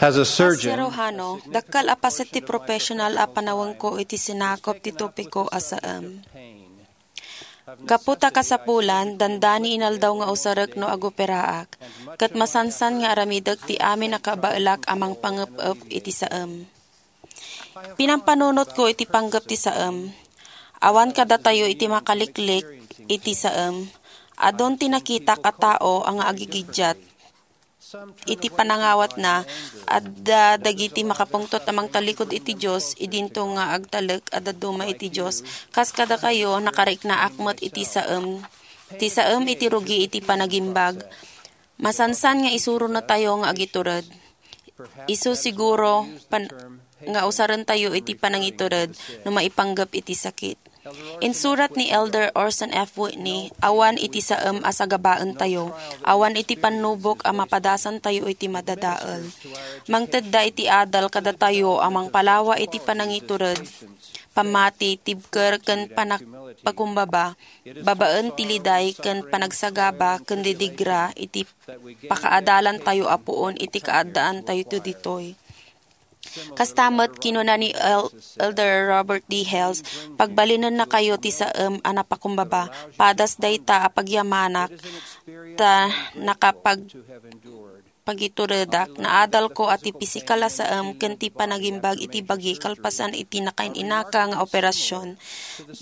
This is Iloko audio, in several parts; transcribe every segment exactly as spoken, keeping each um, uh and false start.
As a As surgeon, cirujano, dakkel a paset ti professional a panawengko iti sinakop ti topiko a saem. Gapu ta kasapulan, dandani inaldaw nga usarek no agoperaak, ket masansan nga aramidek ti amin a kabaelak a mangpangep-ep iti saem. Pinampanunotko iti panggep ti saem. Awan kadatayo iti makaliklik iti saem. Adun ti nakitak a tao a nga agigiddiat iti panangawatna, adda dagiti makapungtot a mangtalikod iti Dios, idinto nga agtalek a dadduma iti Dios. Kas kadakayo, nakariknaak met iti saem. Ti saem iti rugi iti panagimbag. Masansan nga isuronatayo nga agitured. Isu siguro pan-, nga usarentayo iti panangitured no maipanggep iti sakit. Insurat ni Elder Orson F. Whitney, "Awan iti saem a sagabaentayo, awan iti pannubok a mapadasantayo iti madadael." Mangtedda iti adal kadatayo a mangpalawa iti panangitured, pammati, tibker, ken panagpakumbaba, babaen ti liday ken panagsagaba ken didigra iti pakaadalantayo a puon iti kaaddaantayo ditoy. Kasta met, kinuna ni El-, Elder Robert D. Hales, "Pagbalinennakayo ti saem a napakumbaba. Padas dayta a pagyamanak, ta nakapag-, pagituredak. Naadalko a ti pisikal a saem ken ti panagimbag iti bagi kalpasan iti nakain-inaka nga operasion.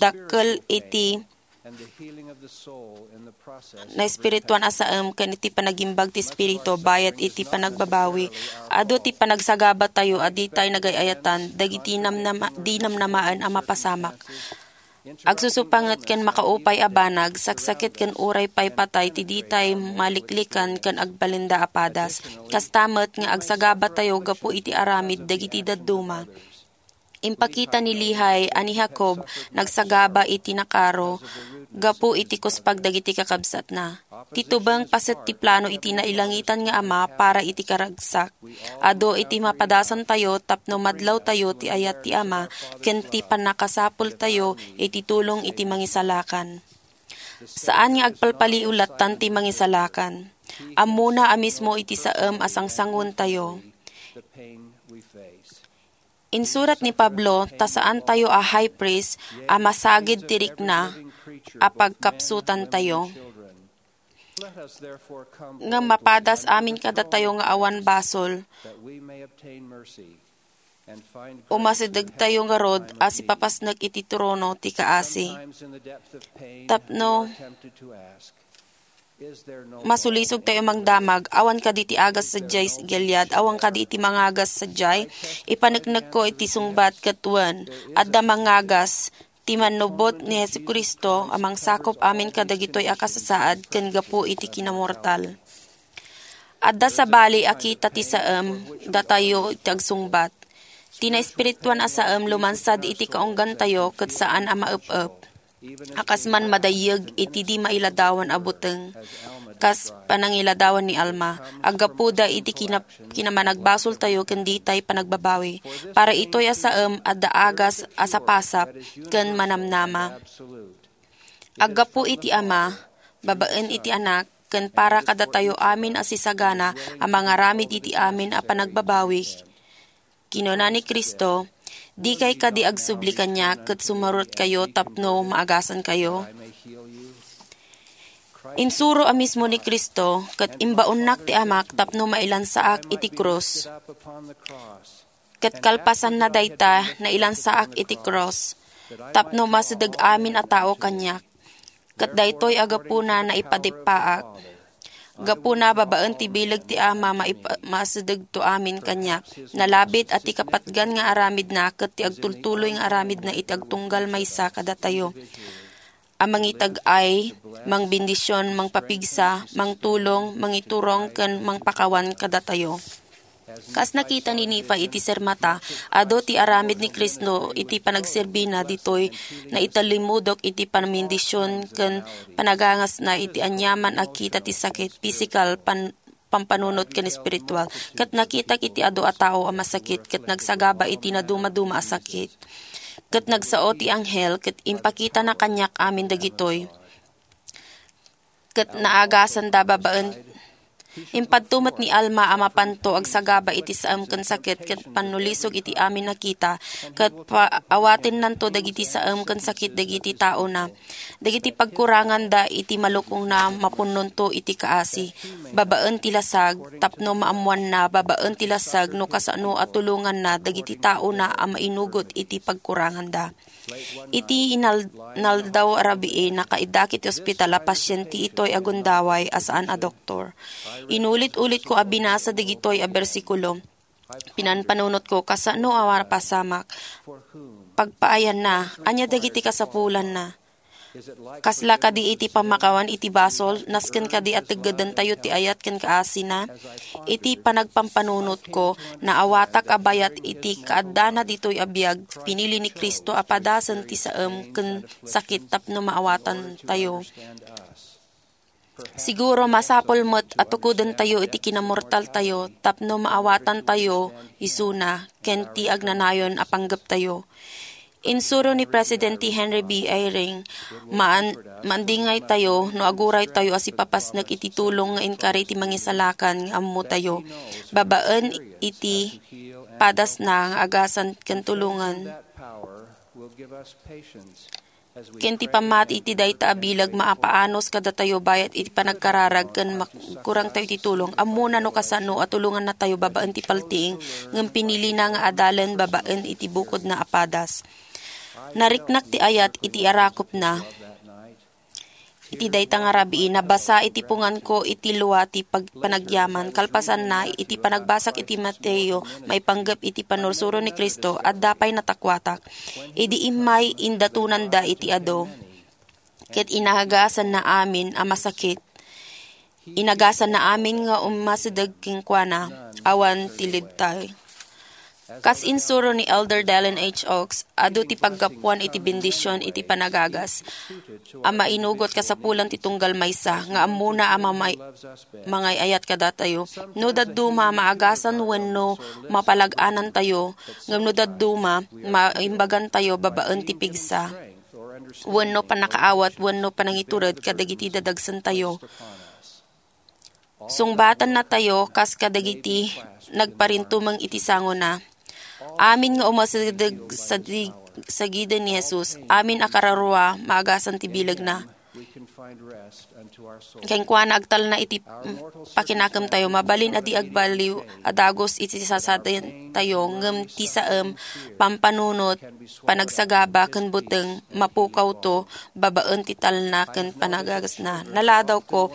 Dakkel iti naespirituan a saem ken iti panagimbag ti Espiritu bayat iti panagbabawi. Adu ti panagsagabatayo a ditay nagay-ayatan dagiti namnama-, di namnamaen a mapasamak. Agsusupanget ken makaupay a banag, saksakit ken uray pay patay ti ditay maliklikan ken agbalinda a padas. Kasta met nga agsagabatayo gapu iti aramid dagiti dadduma." Impakita ni Lehi a ni Jacob nagsagaba iti nakaro gapu iti kuspag dagiti kakabsatna. Ti tubeng paset ti plano iti nailangitan nga Ama para iti karagsak. Adu iti mapadasantayo tapno madlawtayo ti ayat ti Ama ken ti pannakasapultayo iti tulong iti Mangisalakan. Saan nga agpalpaliw lattan ti Mangisalakan. Ammona a mismo iti saem a sangsanguentayo. Insurat ni Pablo ta saantayo a high priest a masagid ti rikna a pagkapsutantayo. Ngem mapadas amin kadatayo nga awan basol, umasidegtayo ngarud a sipapasnek iti trono ti kaasi. Tapno masulisog tayo mangdamag, awan kadi ti agas sadiay Gilead, awan kadi ti mangagas sadiay? Ipaneknekko iti sungbat ket wen, adda mangagas, ti mannubot ni Jesu-Cristo a mangsakop amin kadagitoy a kasasaad ken gapu iti kinamortal. Adda sabali a kita ti saem datayo iti agsungbat. Ti naespirituan a saem lumansad iti kaunggantayo ket saan a maep-ep. A kas man madayyeg iti di mailadawan a buteng, kas panangiladawan ni Alma, aggapuda iti kina-, kinamanagbasoltayo ken ditay panagbabawi. Para itoy a saem, adda agas a sapasap ken manamnama. Aggapu iti Ama, babaen iti Anak, ken para kadatayo amin a sisagana a mangaramid iti amin a panagbabawi, kinuna ni Cristo, "Dikay kadi agsubli kaniak ket sumurotkayo tapno maagasankayo?" Insuro a mismo ni Cristo, ket imbaonnak ti Amak tapno mailansaak iti krus. Ket kalpasanna dayta, nailansaak iti krus, tapno masideg amin a tao kaniak. Ket daytoy a gapuna naipadippaak. Gapuna babaen ti bileg ti Ama, maipa-, masidegto amin kaniak. Nalabit a ti kapatgan nga aramidna ket ti agtultuloy nga aramidna iti agtunggal maysa kadatayo a mangitag-ay, mangbendision, mangpapigsa, mangtulong, mangiturong, ken mangpakawan kadatayo. Kas nakita ni Nifa iti sirmata, adu ti aramid ni Cristo iti panagserbina ditoy naitallimmudok iti panamindision ken panagangasna iti aniaman a kita ti sakit, pisikal, pan-, pampanunot ken espiritual. Ket nakitak iti adu a tao a masakit ket nagsagaba iti nadumaduma a sakit. Ket nagsao ti anghel ket impakitana kaniak amin dagitoy. Ket naagasanda babaen, Impadto met ni Alma a mapanto agsagaba iti saem ken sakit ket pannulisog iti amin a kita, ket pa-, awatennanto dagiti saem ken sakit dagiti taona. Dagiti pagkuranganda iti malukongna mapunnonto iti kaasi, babaen ti lasag, tapno maammoanna babaen ti lasag no kasano a tulonganna dagiti taona a mainugot iti pagkuranganda. Iti inal-, inaldaw a rabii, nakaiddak iti ospital a pasiente itoy a gundaway a saan a doktor. Inulit-ulitko a binasa dagitoy a bersikulo. Pinanpanunotko kasano a mapasamak. Pagpaayanna, ania dagiti kasapulanna? Kasla kadi iti pammakawan iti basol, nasken kadi a teggedantayo ti ayat ken kaasina? Iti panagpampanunotko, naawatak a bayat iti kaaddana ditoy a biag, pinili ni Cristo a padasen ti saem ken sakit tapno maawatantayo. Siguro, masapul met a tukodentayo iti kinamortaltayo tapno maawatantayo isuna ken ti agnanayon a panggeptayo. Insuro ni Presidente Henry B. Eyring, maan-, maandingaytayo no aguraytayo a sipapasnek iti tulong nga inkari ti Mangisalakan nga ammotayo, babaen iti padasna nga agasan ken tulongan ken ti pammati iti dayta a bileg mapaanus kadatayo bayat iti panagkararag ken magkurangtayo iti tulong. Ammona no kasano a tulongannatayo babaen ti paltiing, ngem pinilina nga adalen babaen iti bukodna a padas. Nariknak ti ayat iti arakopna. Iti dayta nga rabii, nabasa iti punganko iti lua ti pag-, panagyaman. Kalpasanna, iti panagbasak iti Mateo, maipanggep iti pannursuro ni Cristo, adda pay natakuatak. Idi immay, indatonanda iti adu. Ket inagasanna amin a masakit. Inagasanna amin nga ummasideg kenkuana, awan ti libtay. Kas insuro ni Elder Dallin H. Oaks, adu ti paggapuan iti bendision iti panagagas a mainugot kasapulan ti tunggal maysa nga ammona a mamay-, mangay-ayat kadatayo. No dadduma, maagasan wenno mapalag-anantayo, ngem no dadduma, maimbagantayo babaen ti pigsa wenno pannakaawat wenno panangitured kadagiti dadagsantayo. Sungbatannatayo kas kadagiti nagparintumeng iti sangona. Amin nga umasideg sadi-, sagiden ni Jesus, amin a kararua maagasan ti bilegna. Kenkuana agtalna iti pakinakemtayo, mabalin a di agbaliw a dagus iti sasadentayo, ngem ti saem, pampanunot, panagsagaba, ken buteng, mapukawto babaen ti talna ken panagagasna. Naladawko,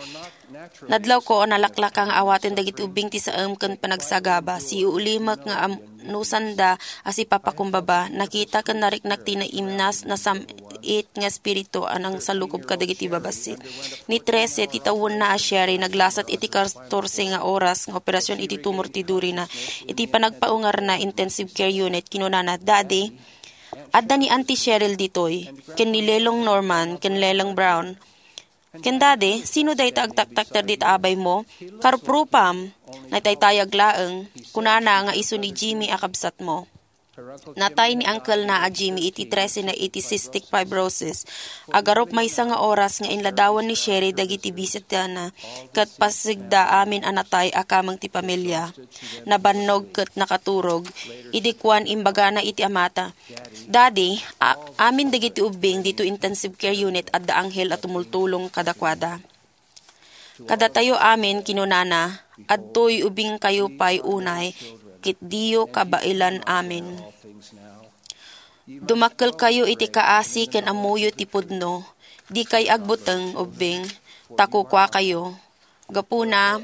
Nadlawko a nalaklaka nga awaten dagiti ubbing ti saem ken panagsagaba. Siulimek nga am-, nusanda a sipapakumbaba. Nakita ken nariknak ti naimnas, nasam-it nga espiritu a nangsalukob kadagiti babassit. Ni trese ti tawenna a Sherry, naglasat iti katorse nga oras nga operasion iti tumor ti durina. Iti panagpaungarna, intensive care unit, kinunana, "Daddy, adda ni Auntie Cheryl ditoy, ken ni Lelong Norman, ken Lelong Brown." Ken Daddy, sino dayta agtaktakder dita abaymo? Karuprupam, naitaytayag laeng, kunana nga isu ni Jimmy a kabsatmo. Natay ni uncle na a Jimmy iti trese na iti cystic fibrosis. Agarup maysa nga oras nga inladawan ni Sherry dagiti bisitana, ket pasigda amin a natay a kameng ti pamilya. Nabannog ket nakaturog. Idi kuan, imbagana iti amata, "Daddy, a-, amin dagiti ubbing dito intensive care unit adda anghel a tumultulong kadakuada." "Kadatayo amin," kinunana, "adtoy ubbingkayo pay unay, ket diyo kabaelan amin. Dumakkelkayo iti kaasi ken ammoyo ti pudno. Dikay agbuteng ubbing, ta kukuakayo. Gapuna,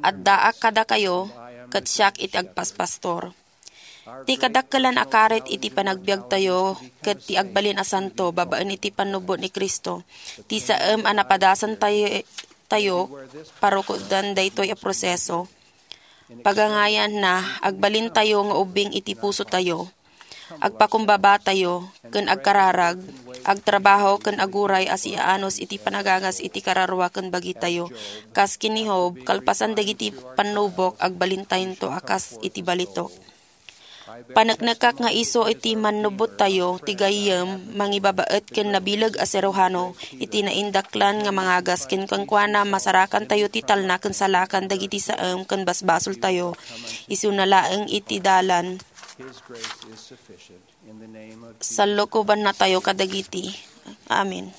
addaak kadakayo, ket siak iti agpaspastor." Ti kadakkelan a karit iti panagbiagtayo ket ti agbalin a santo babaen iti pannubbot ni Cristo. Ti saem a napadasan tayo, tayo, parukodan daytoy a proseso. Pagangayanna, agbalintayo nga ubbing iti pusotayo. Agpakumbabatayo ken agkararag, agtrabaho ken aguray a siaanus iti panagagas iti kararua ken bagitayo. Kas ken ni Job, kalpasan dagiti pannubok, agbalintayonto a kas iti balitok. Paneknekak nga isu iti mannubbottayo ti gayyem, mangibabaet ken nabileg a siruhano, iti naindaklan nga mangagas ken kenkuana, masarakantayo ti talna ken salakan dagiti saem ken basbasoltayo. Isuna laeng iti dalan. His grace is sufficient. In the name of Salukobannatayo kadagiti. Amen.